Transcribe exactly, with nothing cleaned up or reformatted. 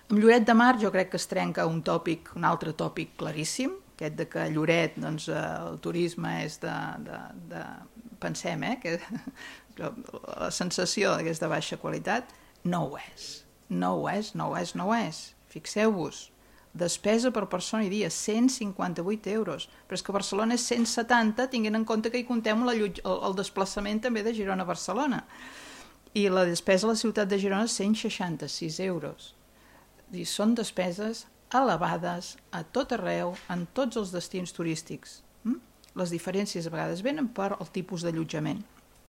Amb Lloret de Mar jo crec que es trenca un tòpic, un altre tòpic claríssim, aquest de que a Lloret doncs, el turisme és de... de, de pensem, eh, que la sensació que és de baixa qualitat, no ho és. No ho és, no ho és, no ho és. Fixeu-vos, despesa per persona i dia, cent cinquanta-vuit euros. Però és que Barcelona és cent setanta, tinguent en compte que hi comptem la lluit, el, el desplaçament també de Girona a Barcelona. I la despesa a la ciutat de Girona és cent seixanta-sis euros. I són despeses elevades a tot arreu, en tots els destins turístics. Les diferències a vegades venen per el tipus d'allotjament.